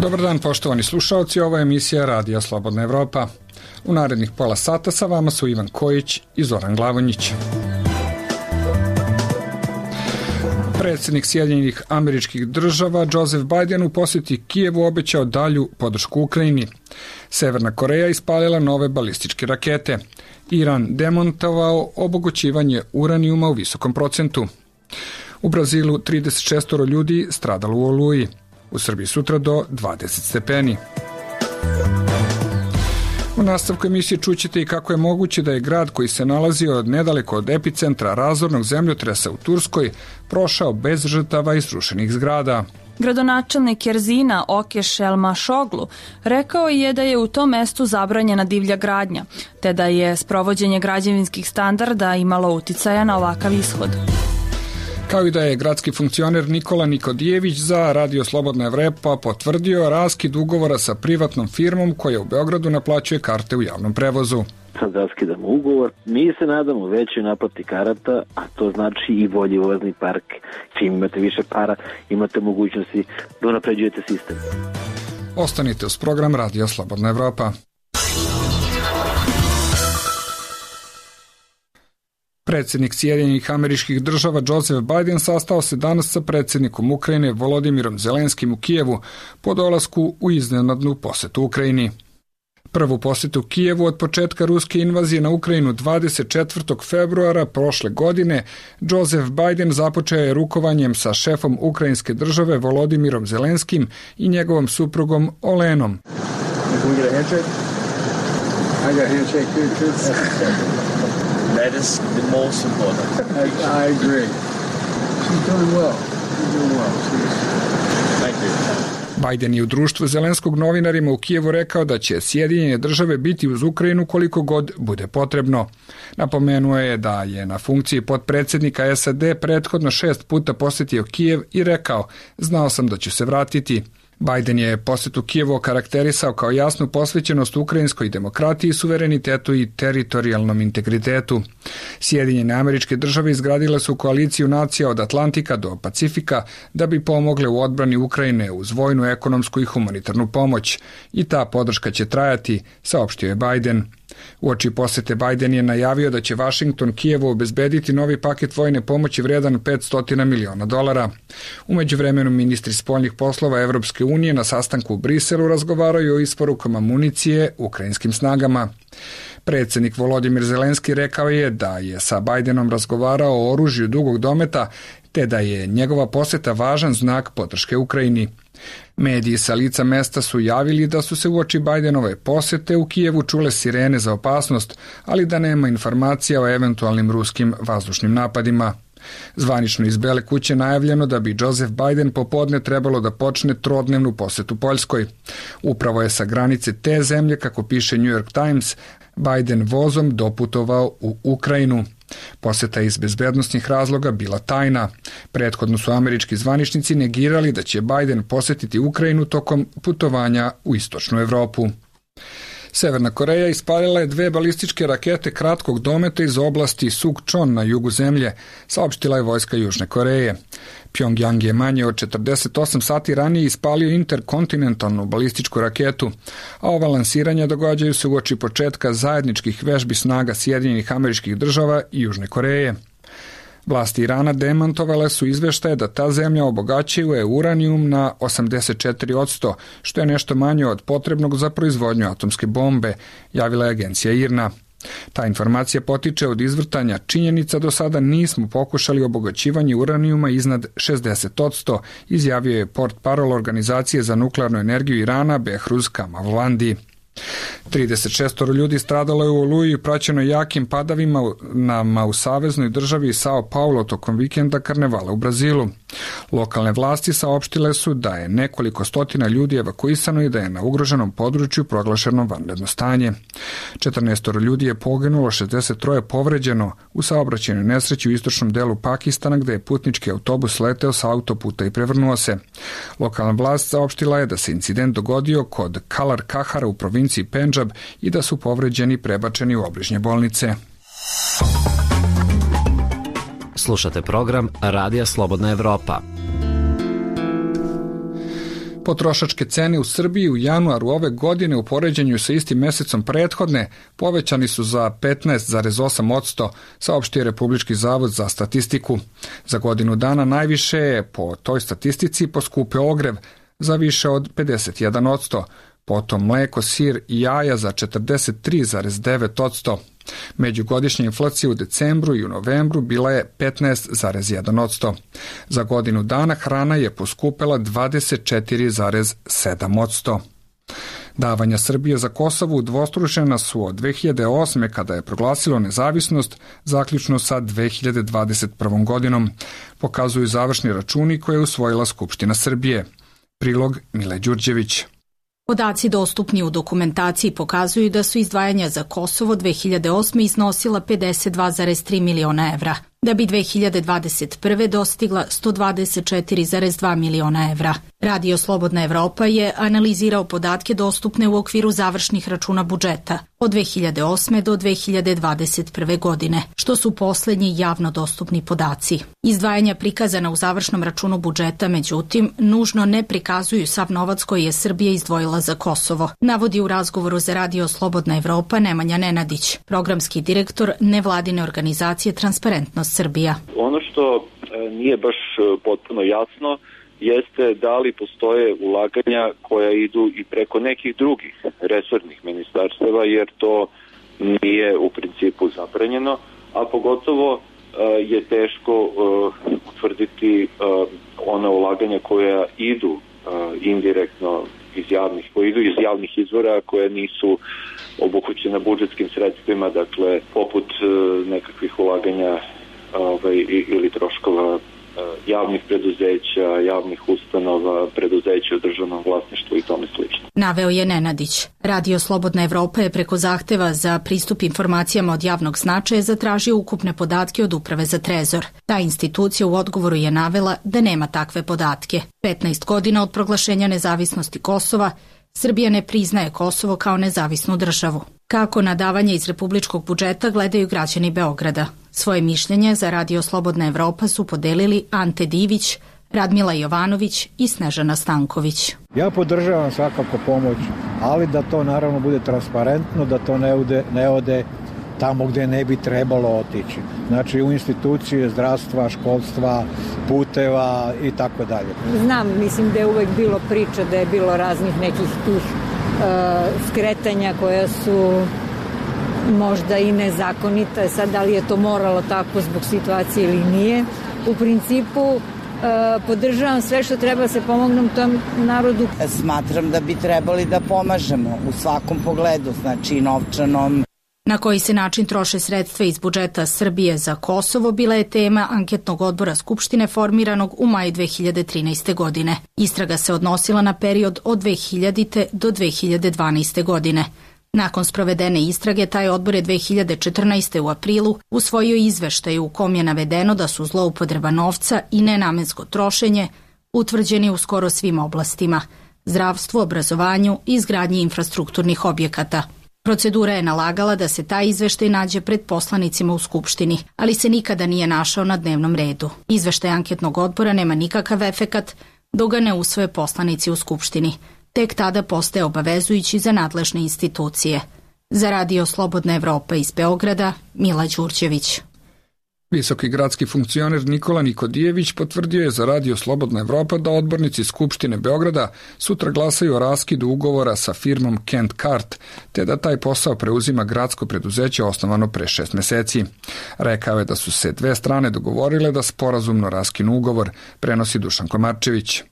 Dobar dan, poštovani slušaoci, ovo je emisija Radija Slobodna Evropa. U narednih pola sata sa vama su Ivan Kojić i Zoran Glavonjić. Predsjednik Sjedinjenih Američkih Država Joseph Biden u posjeti Kijevu obećao dalju podršku Ukrajini. Severna Koreja ispalila nove balističke rakete. Iran demontovao obogaćivanje uranijuma u visokom procentu. U Brazilu 36 ljudi stradalo u oluji. U Srbiji sutra do 20 stepeni. U nastavku emisije čućete i kako je moguće da je grad koji se nalazio nedaleko od epicentra razornog zemljotresa u Turskoj prošao bez žrtava i srušenih zgrada. Gradonačelnik Erzina Okeš Elmašoglu rekao je da je u tom mestu zabranjena divlja gradnja, te da je sprovođenje građevinskih standarda imalo uticaja na ovakav ishod. Kao i da je gradski funkcioner Nikola Nikodijević za Radio Slobodna Evropa potvrdio raskid ugovora sa privatnom firmom koja u Beogradu naplaćuje karte u javnom prevozu. Sad raskidamo ugovor. Mi se nadamo većoj naplati karata, a to znači i bolji vozni park. Čim imate više para, imate mogućnosti da unapređujete sistem. Ostanite uz program Radio Slobodna Evropa. Predsjednik Sjedinjenih Američkih Država Joseph Biden sastao se danas sa predsjednikom Ukrajine Volodimirom Zelenskim u Kijevu po dolasku u iznenadnu posetu Ukrajini. Prvu posetu Kijevu od početka ruske invazije na Ukrajinu 24. februara prošle godine Joseph Biden započeo je rukovanjem sa šefom ukrajinske države Volodimirom Zelenskim i njegovom suprugom Olenom. That is the most important. I agree. She's doing well. Thank you. Biden je u društvu Zelenskog novinarima u Kijevu rekao da će Sjedinjene države biti uz Ukrajinu koliko god bude potrebno. Napomenuo je da je na funkciji potpredsjednika SAD prethodno 6 puta posjetio Kijev i rekao: znao sam da ću se vratiti. Biden je posetu Kijevu okarakterisao kao jasnu posvećenost ukrajinskoj demokratiji, suverenitetu i teritorijalnom integritetu. Sjedinjene Američke Države izgradile su koaliciju nacija od Atlantika do Pacifika da bi pomogle u odbrani Ukrajine uz vojnu, ekonomsku i humanitarnu pomoć. I ta podrška će trajati, saopštio je Biden. Uoči posete Biden je najavio da će Vašington Kijevu obezbediti novi paket vojne pomoći vredan $500 miliona. U međuvremenu ministri spoljnih poslova Evropske unije na sastanku u Briselu razgovaraju o isporukama municije ukrajinskim snagama. Predsjednik Volodimir Zelenski rekao je da je sa Bidenom razgovarao o oružju dugog dometa, te da je njegova poseta važan znak podrške Ukrajini. Mediji sa lica mesta su javili da su se uoči Bidenove posete u Kijevu čule sirene za opasnost, ali da nema informacija o eventualnim ruskim vazdušnim napadima. Zvanično iz Bele kuće najavljeno da bi Joseph Biden popodne trebalo da počne trodnevnu posetu Poljskoj. Upravo je sa granice te zemlje, kako piše New York Times, Biden vozom doputovao u Ukrajinu. Poseta iz bezbednosnih razloga bila tajna. Prethodno su američki zvaničnici negirali da će Biden posjetiti Ukrajinu tokom putovanja u istočnu Evropu. Severna Koreja ispalila je 2 balističke rakete kratkog dometa iz oblasti Sukčon na jugu zemlje, saopštila je vojska Južne Koreje. Pjongjang je manje od 48 sati ranije ispalio interkontinentalnu balističku raketu, a ova lansiranja događaju se uoči početka zajedničkih vežbi snaga Sjedinjenih Američkih Država i Južne Koreje. Vlasti Irana demantovale su izveštaje da ta zemlja obogaćuje uranijum na 84%, što je nešto manje od potrebnog za proizvodnju atomske bombe, javila je agencija IRNA. Ta informacija potiče od izvrtanja činjenica do sada nismo pokušali obogaćivanje uranijuma iznad 60%, izjavio je portparol Organizacije za nuklearnu energiju Irana Behruz Kamalvandi. 36 ljudi stradalo je u oluji praćeno jakim padavima u saveznoj državi Sao Paulo tokom vikenda karnevala u Brazilu. Lokalne vlasti saopštile su da je nekoliko stotina ljudi evakuisano i da je na ugroženom području proglašeno vanredno stanje. 14 ljudi je poginulo, 63 povređeno u saobraćajnoj nesreći u istočnom delu Pakistana gde je putnički autobus leteo sa autoputa i prevrnuo se. Lokalna vlast saopštila je da se incident dogodio kod Kalar Kahara u provinciji Pendžab i da su povređeni prebačeni u obližnje bolnice. Slušate program Radija Slobodna Evropa. Potrošačke cene u Srbiji u januaru ove godine u poređenju sa istim mesecom prethodne povećani su za 15,8%, saopštio Republički zavod za statistiku. Za godinu dana najviše je po toj statistici poskupeo ogrev za više od 51%, potom mleko, sir i jaja za 43,9%. Međugodišnja inflacija u decembru i u novembru bila je 15,1%. Za godinu dana hrana je poskupela 24,7%. Davanja Srbije za Kosovo udvostručena su od 2008. kada je proglasilo nezavisnost, zaključno sa 2021. godinom, pokazuju završni računi koje je usvojila Skupština Srbije. Prilog Mile Đurđević. Podaci dostupni u dokumentaciji pokazuju da su izdvajanja za Kosovo 2008. iznosila 52,3 miliona evra, da bi 2021. dostigla 124,2 miliona evra. Radio Slobodna Evropa je analizirao podatke dostupne u okviru završnih računa budžeta od 2008. do 2021. godine, što su poslednji javno dostupni podaci. Izdvajanja prikazana u završnom računu budžeta, međutim, nužno ne prikazuju sav novac koji je Srbija izdvojila za Kosovo, navodi u razgovoru za Radio Slobodna Evropa Nemanja Nenadić, programski direktor nevladine organizacije Transparentnost Srbija. Ono što nije baš potpuno jasno jeste da li postoje ulaganja koja idu i preko nekih drugih resornih ministarstava, jer to nije u principu zabranjeno, a pogotovo je teško utvrditi ona ulaganja koja idu indirektno iz javnih izvora, koje nisu obuhvaćena budžetskim sredstvima, dakle poput nekakvih ulaganja ili troškova javnih preduzeća, javnih ustanova, preduzeća u državnom vlasništvu i tome slično. Naveo je Nenadić. Radio Slobodna Evropa je preko zahteva za pristup informacijama od javnog značaja zatražio ukupne podatke od Uprave za trezor. Ta institucija u odgovoru je navela da nema takve podatke. 15 godina od proglašenja nezavisnosti Kosova, Srbija ne priznaje Kosovo kao nezavisnu državu. Kako na davanje iz republičkog budžeta gledaju građani Beograda? Svoje mišljenje za Radio Slobodna Evropa su podelili Ante Divić, Radmila Jovanović i Snežana Stanković. Ja podržavam svakako pomoć, ali da to naravno bude transparentno, da to ne ode tamo gde ne bi trebalo otići. Znači u institucije zdravstva, školstva, puteva i tako dalje. Znam, mislim da je uvek bilo priča, da je bilo raznih nekih tih skretanja koja su možda i nezakonita. Sad, da li je to moralo tako zbog situacije ili nije. U principu, podržavam sve što treba se pomognem tom narodu. Smatram da bi trebali da pomažemo u svakom pogledu, znači novčanom. Na koji se način troše sredstva iz budžeta Srbije za Kosovo bila je tema anketnog odbora Skupštine formiranog u maju 2013. godine. Istraga se odnosila na period od 2000. do 2012. godine. Nakon sprovedene istrage, taj odbor je 2014. u aprilu usvojio izveštaj u kom je navedeno da su zloupotreba novca i nenamensko trošenje utvrđeni u skoro svim oblastima: zdravstvu, obrazovanju i izgradnji infrastrukturnih objekata. Procedura je nalagala da se taj izveštaj nađe pred poslanicima u Skupštini, ali se nikada nije našao na dnevnom redu. Izveštaj anketnog odbora nema nikakav efekat dok ga ne usvoje poslanici u Skupštini. Tek tada postaje obavezujući za nadležne institucije. Za Radio Slobodna Evropa iz Beograda, Mila Đurđević. Visoki gradski funkcioner Nikola Nikodijević potvrdio je za Radio Slobodna Evropa da odbornici Skupštine Beograda sutra glasaju o raskidu ugovora sa firmom Kent Kart, te da taj posao preuzima gradsko preduzeće osnovano pre 6 meseci. Rekao je da su se dve strane dogovorile da sporazumno raskinu ugovor, prenosi Dušan Komarčević.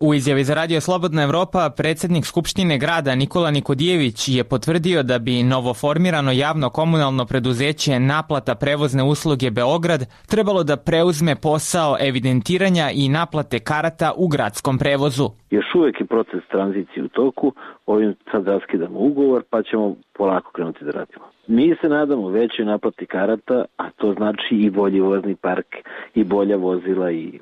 U izjavi za Radio Slobodna Evropa predsjednik Skupštine grada Nikola Nikodijević je potvrdio da bi novoformirano javno komunalno preduzeće Naplata prevozne usluge Beograd trebalo da preuzme posao evidentiranja i naplate karata u gradskom prevozu. Još uvijek je proces tranzicije u toku, ovim sad raskidamo ugovor pa ćemo polako krenuti da radimo. Mi se nadamo većoj naplati karata, a to znači i bolji vozni park, i bolja vozila, i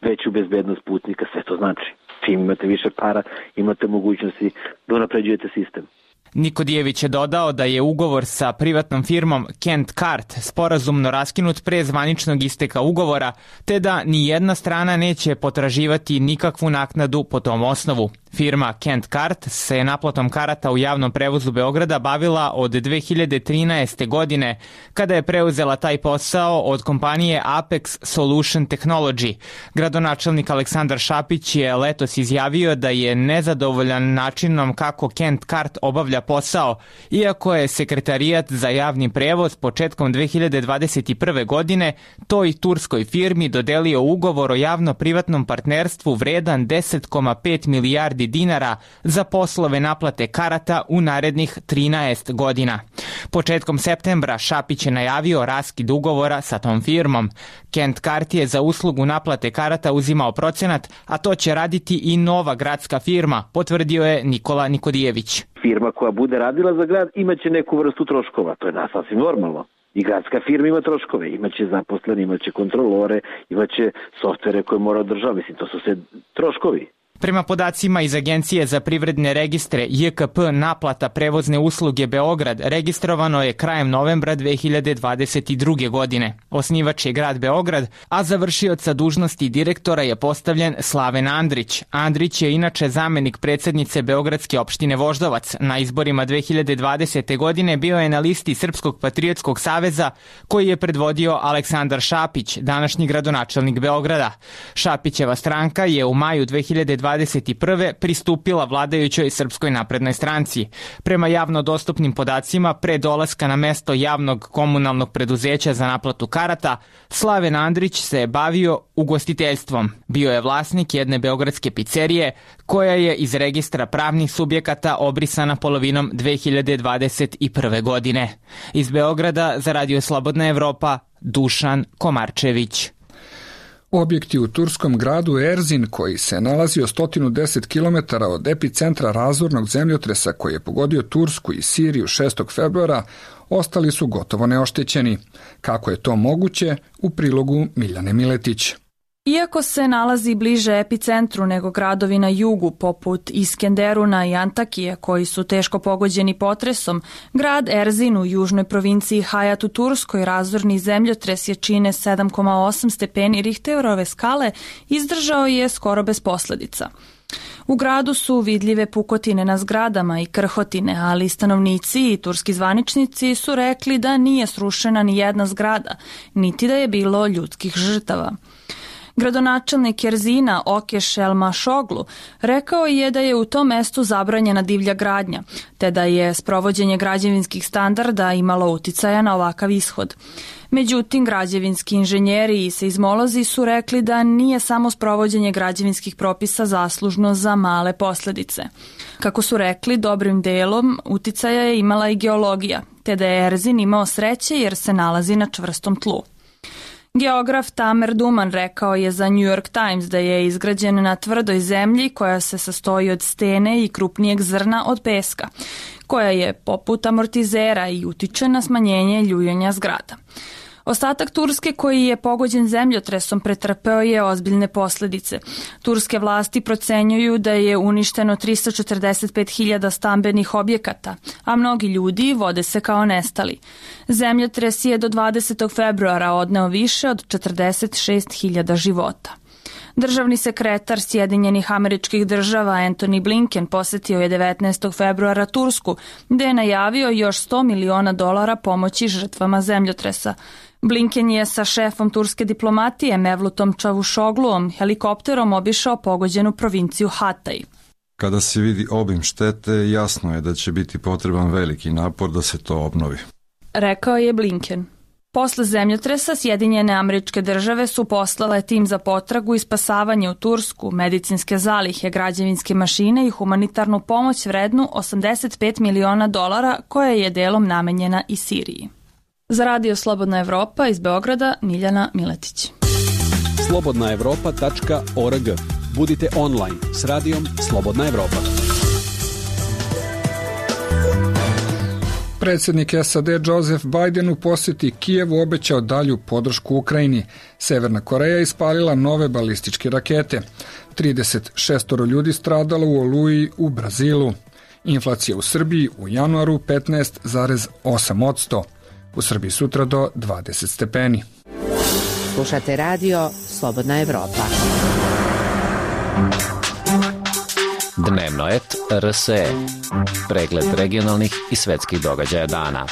veću bezbednost putnika, sve to znači. Čim imate više para, imate mogućnosti da unapređujete sistem. Nikodijević je dodao da je ugovor sa privatnom firmom Kent Cart sporazumno raskinut pre zvaničnog isteka ugovora, te da ni jedna strana neće potraživati nikakvu naknadu po tom osnovu. Firma Kent Cart se naplatom karata u javnom prevozu Beograda bavila od 2013. godine, kada je preuzela taj posao od kompanije Apex Solution Technology. Gradonačelnik Aleksandar Šapić je letos izjavio da je nezadovoljan načinom kako Kent Cart obavlja posao, iako je Sekretarijat za javni prevoz početkom 2021. godine toj turskoj firmi dodelio ugovor o javno-privatnom partnerstvu vredan 10,5 milijardi dinara za poslove naplate karata u narednih 13 godina. Početkom septembra Šapić je najavio raskid ugovora sa tom firmom. Kent Cart je za uslugu naplate karata uzimao procenat, a to će raditi i nova gradska firma, potvrdio je Nikola Nikodijević. Firma koja bude radila za grad imaće neku vrstu troškova, to je sasvim normalno. I gradska firma ima troškove, imaće zaposlene, imaće kontrolore, imaće softvere koje mora održavati, mislim, to su sve troškovi. Prema podacima iz Agencije za privredne registre JKP naplata prevozne usluge Beograd registrovano je krajem novembra 2022. godine. Osnivač je grad Beograd, a za vršioca dužnosti direktora je postavljen Slaven Andrić. Andrić je inače zamenik predsednice Beogradske opštine Voždovac. Na izborima 2020. godine bio je na listi Srpskog patriotskog saveza koji je predvodio Aleksandar Šapić, današnji gradonačelnik Beograda. Šapićeva stranka je u maju 2021. pristupila vladajućoj Srpskoj naprednoj stranci. Prema javno dostupnim podacima, pre dolaska na mesto javnog komunalnog preduzeća za naplatu karata, Slaven Andrić se bavio ugostiteljstvom. Bio je vlasnik jedne beogradske pizzerije, koja je iz registra pravnih subjekata obrisana polovinom 2021. godine. Iz Beograda za Radio Slobodna Evropa, Dušan Komarčević. Objekti u turskom gradu Erzin, koji se nalazio 110 km od epicentra razornog zemljotresa koji je pogodio Tursku i Siriju 6. februara, ostali su gotovo neoštećeni. Kako je to moguće? U prilogu Miljane Miletić. Iako se nalazi bliže epicentru nego gradovi na jugu, poput Iskenderuna i Antakije, koji su teško pogođeni potresom, grad Erzin u južnoj provinciji Hayat u Turskoj razorni zemljotres jačine 7,8 stepeni Richterove skale izdržao je skoro bez posledica. U gradu su vidljive pukotine na zgradama i krhotine, ali stanovnici i turski zvaničnici su rekli da nije srušena ni jedna zgrada, niti da je bilo ljudskih žrtava. Gradonačelnik Erzina Okeš Elmašoglu rekao je da je u tom mestu zabranjena divlja gradnja, te da je sprovođenje građevinskih standarda imalo uticaja na ovakav ishod. Međutim, građevinski inženjeri i seizmolozi su rekli da nije samo sprovođenje građevinskih propisa zaslužno za male posledice. Kako su rekli, dobrim delom uticaja je imala i geologija, te da je Erzin imao sreće jer se nalazi na čvrstom tlu. Geograf Tamer Duman rekao je za New York Times da je izgrađen na tvrdoj zemlji koja se sastoji od stene i krupnijeg zrna od peska, koja je poput amortizera i utiče na smanjenje ljuljanja zgrada. Ostatak Turske koji je pogođen zemljotresom pretrpeo je ozbiljne posledice. Turske vlasti procenjuju da je uništeno 345.000 stambenih objekata, a mnogi ljudi vode se kao nestali. Zemljotres je do 20. februara odneo više od 46.000 života. Državni sekretar Sjedinjenih Američkih Država Antony Blinken posetio je 19. februara Tursku, gde je najavio još $100 miliona pomoći žrtvama zemljotresa. Blinken je sa šefom turske diplomatije Mevlutom Čavuşogluom helikopterom obišao pogođenu provinciju Hatay. Kada se vidi obim štete, jasno je da će biti potreban veliki napor da se to obnovi, rekao je Blinken. Posle zemljotresa Sjedinjene Američke Države su poslale tim za potragu i spasavanje u Tursku, medicinske zalihe, građevinske mašine i humanitarnu pomoć vrednu $85 miliona koja je delom namenjena i Siriji. Za Radio Slobodna Evropa iz Beograda, Miljana Miletić. slobodnaevropa.org. Budite online s radijom Slobodna Evropa. Predsjednik SAD Joseph Biden u posjeti Kijevu obećao dalju podršku Ukrajini. Severna Koreja ispalila nove balističke rakete. 36 ljudi stradalo u oluji u Brazilu. Inflacija u Srbiji u januaru 15,8%. U Srbiji sutra do 20 stepeni. Slušate radio Slobodna Evropa. Dnevno et RSE. Pregled regionalnih i svetskih događaja dana.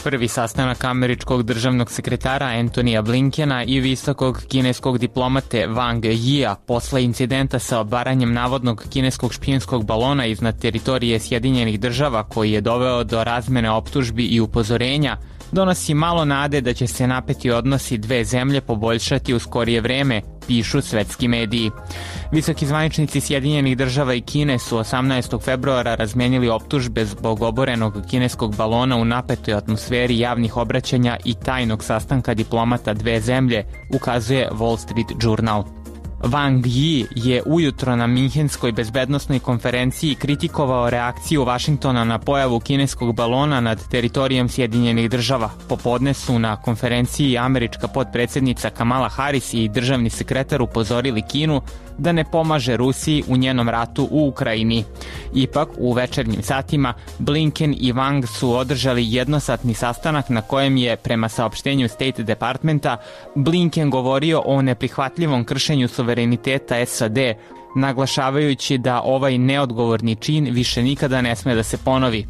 Prvi sastanak američkog državnog sekretara Antonija Blinkena i visokog kineskog diplomate Wang Yia posle incidenta sa obaranjem navodnog kineskog špijunskog balona iznad teritorije Sjedinjenih država koji je doveo do razmene optužbi i upozorenja, donosi malo nade da će se napeti odnosi dve zemlje poboljšati u skorije vreme, pišu svetski mediji. Visoki zvaničnici Sjedinjenih država i Kine su 18. februara razmenili optužbe zbog oborenog kineskog balona u napetoj atmosferi javnih obraćanja i tajnog sastanka diplomata dve zemlje, ukazuje Wall Street Journal. Wang Yi je ujutro na Minhenskoj bezbednosnoj konferenciji kritikovao reakciju Vašingtona na pojavu kineskog balona nad teritorijom Sjedinjenih država. Popodne su na konferenciji američka potpredsjednica Kamala Harris i državni sekretar upozorili Kinu da ne pomaže Rusiji u njenom ratu u Ukrajini. Ipak, u večernjim satima, Blinken i Wang su održali jednosatni sastanak na kojem je, prema saopštenju State Departmenta, Blinken govorio o neprihvatljivom kršenju suvereniteta SAD, naglašavajući da ovaj neodgovorni čin više nikada ne sme da se ponovi.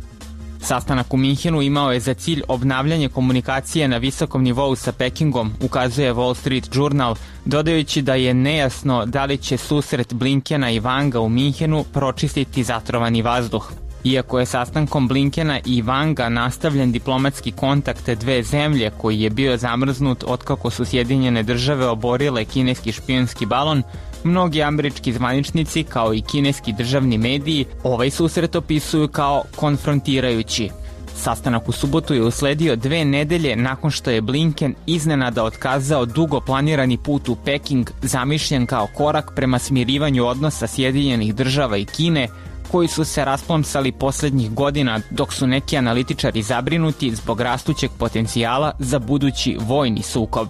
Sastanak u Minhenu imao je za cilj obnavljanje komunikacije na visokom nivou sa Pekingom, ukazuje Wall Street Journal, dodajući da je nejasno da li će susret Blinkena i Wanga u Minhenu pročistiti zatrovani vazduh. Iako je sastankom Blinkena i Wanga nastavljen diplomatski kontakt dve zemlje koji je bio zamrznut otkako su Sjedinjene države oborile kineski špijunski balon, mnogi američki zvaničnici kao i kineski državni mediji ovaj susret opisuju kao konfrontirajući. Sastanak u subotu je usledio 2 nedelje nakon što je Blinken iznenada otkazao dugo planirani put u Peking, zamišljen kao korak prema smirivanju odnosa Sjedinjenih država i Kine, koji su se rasplomsali posljednjih godina, dok su neki analitičari zabrinuti zbog rastućeg potencijala za budući vojni sukob.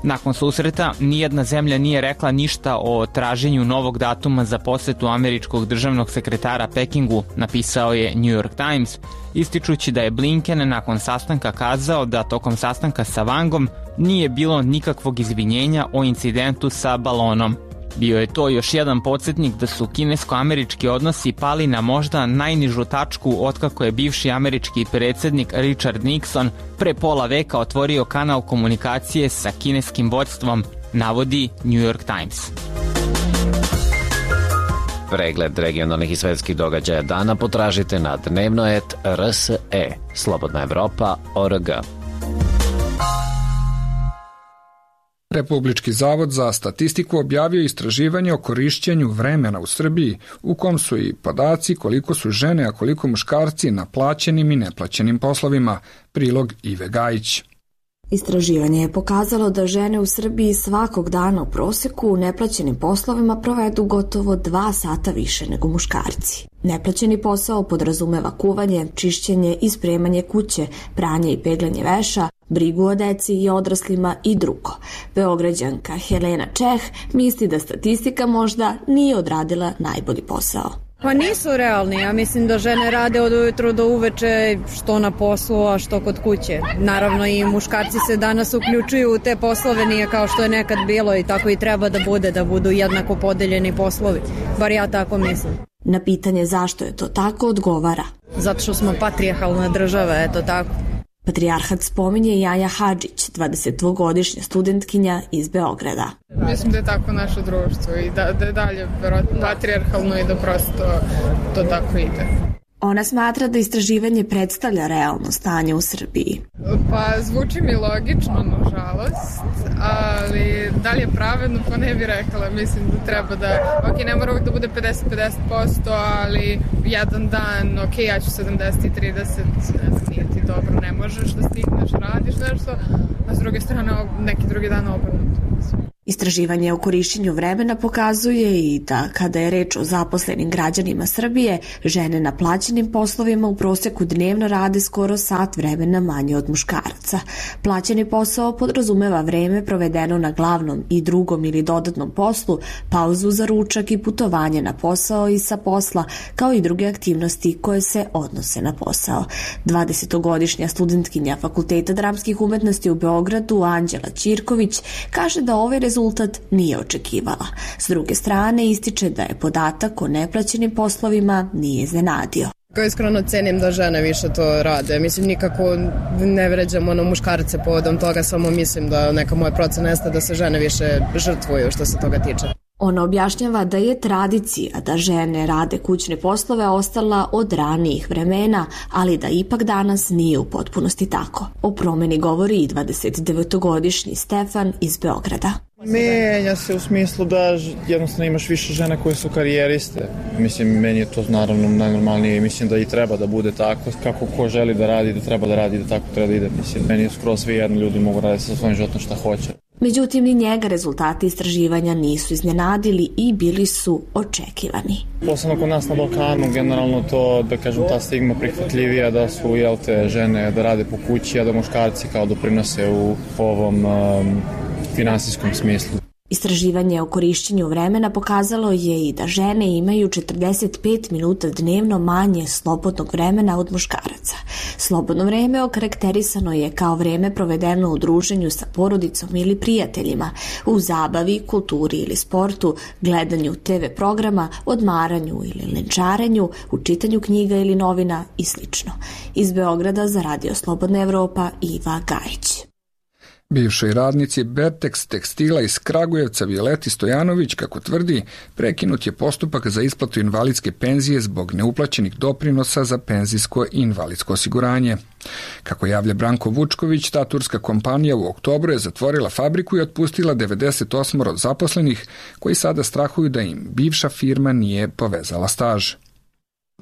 Nakon susreta, nijedna zemlja nije rekla ništa o traženju novog datuma za posetu američkog državnog sekretara Pekingu, napisao je New York Times, ističući da je Blinken nakon sastanka kazao da tokom sastanka sa Wangom nije bilo nikakvog izvinjenja o incidentu sa balonom. Bio je to još jedan podsjetnik da su kinesko-američki odnosi pali na možda najnižu tačku otkako je bivši američki predsjednik Richard Nixon pre pola veka otvorio kanal komunikacije sa kineskim vođstvom, navodi New York Times. Pregled regionalnih i svetskih događaja dana potražite na dnevnoet.rse, slobodnaevropa.org. Republički zavod za statistiku objavio istraživanje o korišćenju vremena u Srbiji, u kom su i podaci koliko su žene, a koliko muškarci na plaćenim i neplaćenim poslovima. Prilog Ive Gajić. Istraživanje je pokazalo da žene u Srbiji svakog dana u proseku u neplaćenim poslovima provedu gotovo 2 sata više nego muškarci. Neplaćeni posao podrazumeva kuvanje, čišćenje i spremanje kuće, pranje i peglanje veša, brigu o deci i odraslima i drugo. Beograđanka Helena Čeh misli da statistika možda nije odradila najbolji posao. Pa nisu realni, ja mislim da žene rade od ujutru do uveče što na poslu, a što kod kuće. Naravno i muškarci se danas uključuju u te poslove, nije kao što je nekad bilo i tako i treba da bude, da budu jednako podeljeni poslovi. Bar ja tako mislim. Na pitanje zašto je to tako odgovara: zato što smo patrijarhalna država, eto tako. Patrijarhat spominje Jaja Hadžić, 22-godišnja studentkinja iz Beograda. Mislim da je tako naše društvo i da je dalje patrijarhalno i da prosto to tako ide. Ona smatra da istraživanje predstavlja realno stanje u Srbiji. Pa zvuči mi logično, nažalost, ali da li je pravedno, pa ne bih rekla. Mislim da treba da, ne mora uvijek da bude 50-50%, ali jedan dan, ja ću 70 i 30, nije ti dobro, ne možeš da stigneš, radiš nešto, a s druge strane neki drugi dan obrnuto. Istraživanje o korišćenju vremena pokazuje i da kada je reč o zaposlenim građanima Srbije, žene na plaćenim poslovima u proseku dnevno rade skoro sat vremena manje od muškaraca. Plaćeni posao podrazumeva vreme provedeno na glavnom i drugom ili dodatnom poslu, pauzu za ručak i putovanje na posao i sa posla, kao i druge aktivnosti koje se odnose na posao. 20-godišnja studentkinja Fakulteta dramskih umetnosti u Beogradu, Anđela Ćirković, kaže da ovaj rezultat nije očekivala. S druge strane, ističe da je podatak o neplaćenim poslovima nije iznenadio. Iskreno cenim da žene više to rade. Mislim, nikako ne vređam muškarce povodom toga, samo mislim da neka moja procena jeste da se žene više žrtvuju što se toga tiče. Ona objašnjava da je tradicija da žene rade kućne poslove ostala od ranijih vremena, ali da ipak danas nije u potpunosti tako. O promeni govori i 29-godišnji Stefan iz Beograda. Menja se u smislu da jednostavno imaš više žena koje su karijeriste. Mislim, meni je to naravno najnormalnije i mislim da i treba da bude tako. Kako ko želi da radi, da treba da radi, da tako treba da ide. Mislim, meni je skoro svi jedni ljudi mogu raditi sa svojim životom šta hoće. Međutim, ni njega rezultati istraživanja nisu iznenadili i bili su očekivani. Posebno kod nas na Balkanu, generalno to, da kažem, ta stigma prihvatljivija da su, žene da rade po kući, a da muškarci kao doprinose u ovom finansijskom smislu. Istraživanje o korišćenju vremena pokazalo je i da žene imaju 45 minuta dnevno manje slobodnog vremena od muškaraca. Slobodno vreme okarakterisano je kao vreme provedeno u druženju sa porodicom ili prijateljima, u zabavi, kulturi ili sportu, gledanju TV programa, odmaranju ili lenčarenju, u čitanju knjiga ili novina i sl. Iz Beograda za Radio Slobodna Evropa, Iva Gajić. Bivšoj radnici Bertex tekstila iz Kragujevca Violeti Stojanović, kako tvrdi, prekinut je postupak za isplatu invalidske penzije zbog neuplaćenih doprinosa za penzijsko i invalidsko osiguranje. Kako javlja Branko Vučković, ta turska kompanija u oktobru je zatvorila fabriku i otpustila 98 od zaposlenih koji sada strahuju da im bivša firma nije povezala staž.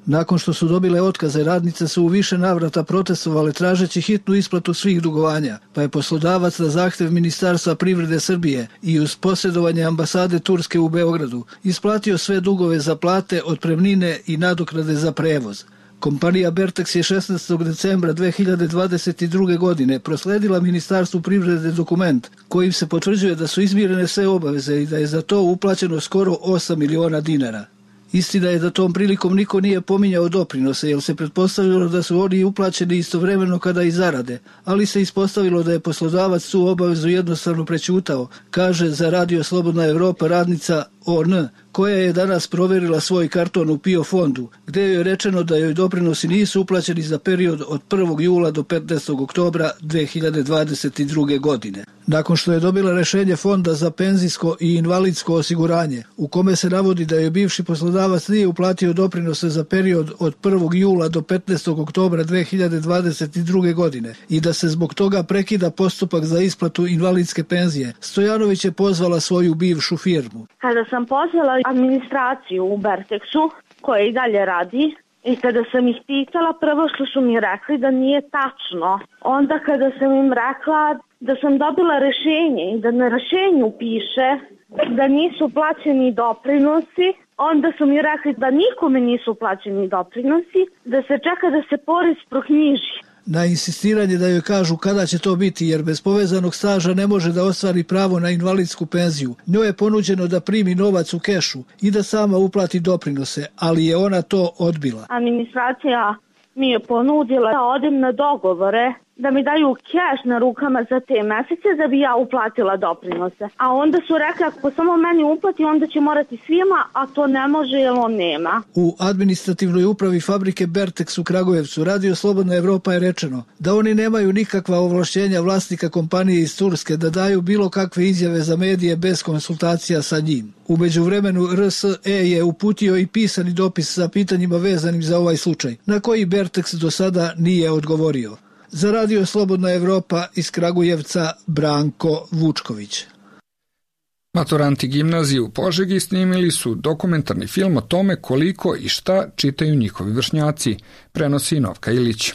Nakon što su dobile otkaze, radnice su u više navrata protestovale tražeći hitnu isplatu svih dugovanja, pa je poslodavac na zahtev Ministarstva privrede Srbije i uz posredovanje ambasade Turske u Beogradu isplatio sve dugove za plate, otpremnine i nadoknade za prevoz. Kompanija Bertex je 16. decembra 2022. godine prosledila Ministarstvu privrede dokument kojim se potvrđuje da su izmirene sve obaveze i da je za to uplaćeno skoro 8 miliona dinara. Istina je da tom prilikom niko nije pominjao doprinose, jer se pretpostavilo da su oni uplaćeni istovremeno kada i zarade, ali se ispostavilo da je poslodavac tu obavezu jednostavno prećutao, kaže za Radio Slobodna Evropa radnica ON, koja je danas proverila svoj karton u PIO fondu, gde joj je rečeno da joj doprinosi nisu uplaćeni za period od 1. jula do 15. oktobra 2022. godine. Nakon što je dobila rešenje Fonda za penzijsko i invalidsko osiguranje, u kome se navodi da joj bivši poslodavac nije uplatio doprinose za period od 1. jula do 15. oktobra 2022. godine i da se zbog toga prekida postupak za isplatu invalidske penzije, Stojanović je pozvala svoju bivšu firmu. Kada sam pozvala administraciju u Bertexu, koja i dalje radi, i kada sam ih pitala, prvo što su mi rekli da nije tačno. Onda kada sam im rekla da sam dobila rešenje i da na rešenju piše da nisu plaćeni doprinosi, onda su mi rekli da nikome nisu plaćeni doprinosi, da se čeka da se porez proknjiži. Na insistiranje da joj kažu kada će to biti, jer bez povezanog staža ne može da ostvari pravo na invalidsku penziju, njoj je ponuđeno da primi novac u kešu i da sama uplati doprinose, ali je ona to odbila. Administracija mi je ponudila da odem na dogovore, da mi daju keš na rukama za te mesece da bi ja uplatila doprinose. A onda su rekli ako samo meni uplati onda će morati svima, a to ne može jer on nema. U administrativnoj upravi fabrike Bertex u Kragujevcu Radio Slobodna Evropa je rečeno da oni nemaju nikakva ovlašćenja vlasnika kompanije iz Turske da daju bilo kakve izjave za medije bez konsultacija sa njim. U međuvremenu RSE je uputio i pisani dopis sa pitanjima vezanim za ovaj slučaj, na koji Bertex do sada nije odgovorio. Za Radio Slobodna Evropa iz Kragujevca Branko Vučković. Maturanti gimnazije u Požegi snimili su dokumentarni film o tome koliko i šta čitaju njihovi vršnjaci, prenosi Novka Ilić.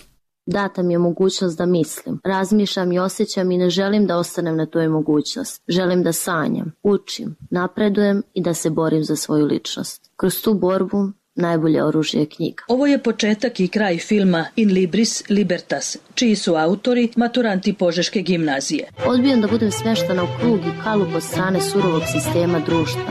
Data mi je mogućnost da mislim, razmišljam i osjećam i ne želim da ostanem na toj mogućnost. Želim da sanjam, učim, napredujem i da se borim za svoju ličnost. Kroz tu borbu najbolje oružje je knjiga. Ovo je početak i kraj filma In Libris Libertas, čiji su autori maturanti Požeške gimnazije. Odbijam da budem smeštana u krug i kalup od strane surovog sistema društva.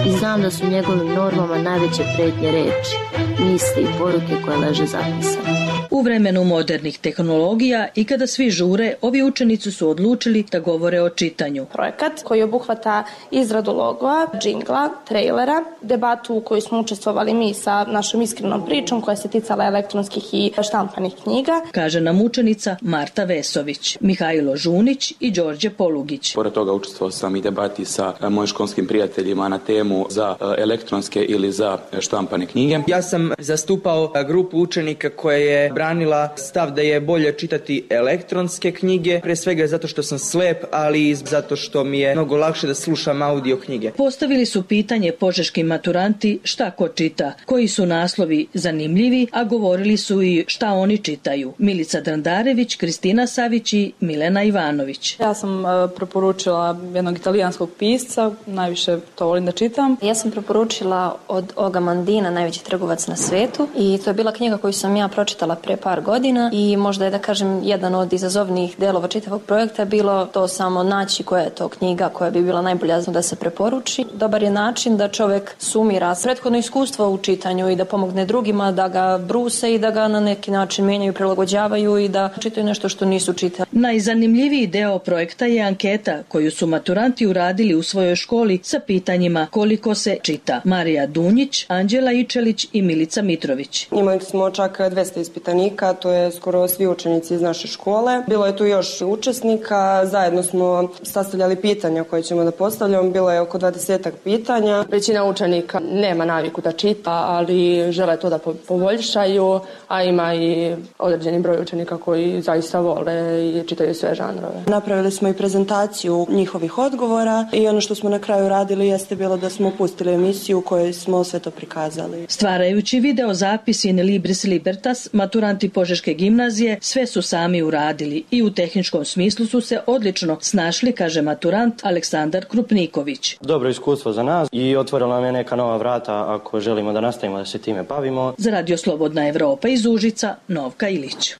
I znam da su njegovim normama najveće pretnje reči, misli i poruke koje leže zapisane. U vremenu modernih tehnologija i kada svi žure, ovi učenici su odlučili da govore o čitanju. Projekat koji obuhvata izradu logova, džingla, trejlera, debatu u kojoj smo učestvovali mi sa našom iskrenom pričom koja se ticala elektronskih i štampanih knjiga. Kaže nam učenica Marta Vesović, Mihajlo Žunić i Đorđe Polugić. Pored toga učestvovao sam i debati sa mojim školskim prijateljima na temu za elektronske ili za štampane knjige. Ja sam zastupao grupu učenika koja je branila stav da je bolje čitati elektronske knjige, pre svega zato što sam slep, ali i zato što mi je mnogo lakše da slušam audio knjige. Postavili su pitanje požeški maturanti šta ko čita, koji su naslovi zanimljivi, a govorili su i šta oni čitaju. Milica Drandarević, Kristina Savić i Milena Ivanović. Ja sam preporučila jednog italijanskog pisca, najviše to volim da čitam. Ja sam preporučila od Oga Mandina, Najveći trgovac na svetu, i to je bila knjiga koju sam ja pročitala pre par godina i možda je, da kažem, jedan od izazovnijih delova čitavog projekta bilo to samo naći koja je to knjiga koja bi bila najbolja da se preporuči. Dobar je način da čovek sumira prethodno iskustvo u čitanju i da pomogne drugima, da ga bruse i da ga na neki način menjaju, prilagođavaju i da čitaju nešto što nisu čitali. Najzanimljiviji deo projekta je anketa koju su maturanti uradili u svojoj školi sa pitanjima koliko se čita. Marija Dunjić, Anđela Ičelić i Milica Mitrović. Imali smo čak 200 ispitanika, to je skoro svi učenici iz naše škole. Bilo je tu još učesnika, zajedno smo sastavljali pitanja koje ćemo da postavljamo, bilo je oko 20 pitanja. Većina učenika nema naviku da čita, ali žele to da poboljšaju, a ima i određeni broj učenika koji zaista vole i čitaju sve žanrove. Napravili smo i prezentaciju njihovih odgovora i ono što smo na kraju radili jeste bilo da smo pustili emisiju u kojoj smo sve to prikazali. Stvarajući video zapis In Libris Libertas, maturanti Požeške gimnazije sve su sami uradili i u tehničkom smislu su se odlično snašli, kaže maturant Aleksandar Krupniković. Dobro iskustvo za nas i otvorilo nam je neka nova vrata ako želimo da nastavimo da se time bavimo. Za Radio Slobodna Evropa iz Užica, Novka Ilić.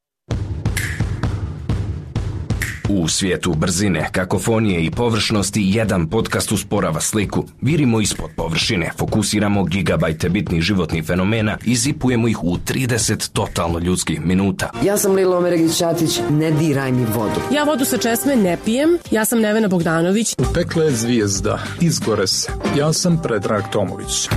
U svijetu brzine, kakofonije i površnosti jedan podcast usporava sliku. Virimo ispod površine, fokusiramo gigabajte bitnih životnih fenomena i zipujemo ih u 30 totalno ljudskih minuta. Ja sam Lilo Omeregić-Ćatić, ne diraj mi vodu. Ja vodu sa česme ne pijem, ja sam Nevena Bogdanović. U pekle zvijezda, izgore se. Ja sam Predrag Tomović.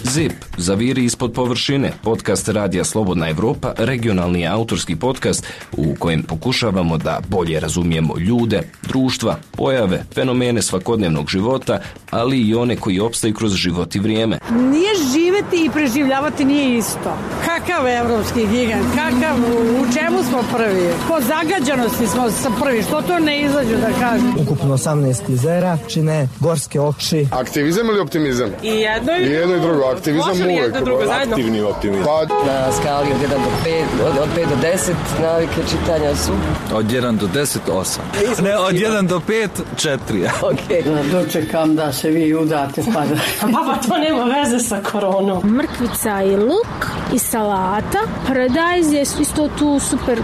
ZIP, zaviri ispod površine, podcast Radija Slobodna Evropa, regionalni autorski podcast u kojem pokušavamo da bolje razumijemo ljude, društva, pojave, fenomene svakodnevnog života, ali i one koji opstaju kroz život i vrijeme. Nije živeti i preživljavati nije isto. Kakav evropski gigant, kakav, u čemu smo prvi? Po zagađanosti smo prvi, što to ne izađu da kažem? Ukupno 18 jezera, čine gorske oči. Aktivizam ili optimizam? I jedno i drugo. Aktivizam uvek. Aktivni optimizam. Na skali od 1 do 5, od 5 do 10 navike čitanja su? Od 1 do 10, 8. Ne, od 1 do 5, 4. Ok. Dočekam da se vi udate pa da... Baba, to nema veze sa koronom. Mrkvica i luk i salata. Paradajz je isto tu super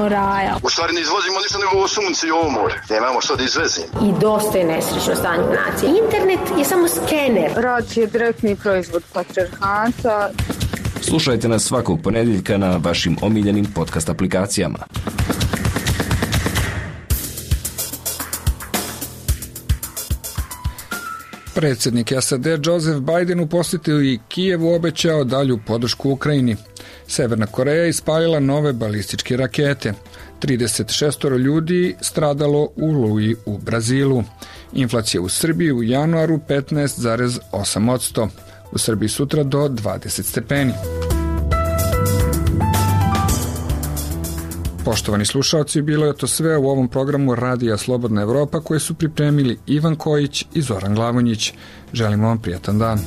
raja. U stvari ne izvozimo ništa nego ovo sunce i ovo more. Nemamo što da izvezimo. I dosta je nesrećno stanje u naciji. Internet je samo skener. Rad je direktni proizvod patrijarhata. Slušajte nas svakog ponedjeljka na vašim omiljenim podcast aplikacijama. Predsjednik SAD Joseph Biden u posjeti i Kijevu obećao dalju podršku Ukrajini. Severna Koreja ispalila nove balističke rakete. 36 ljudi stradalo u oluji u Brazilu. Inflacija u Srbiji u januaru 15,8%. U Srbiji sutra do 20 stepeni. Poštovani slušalci, bilo je to sve u ovom programu Radija Slobodna Evropa koje su pripremili Ivan Kojić i Zoran Glavonjić. Želimo vam prijatan dan.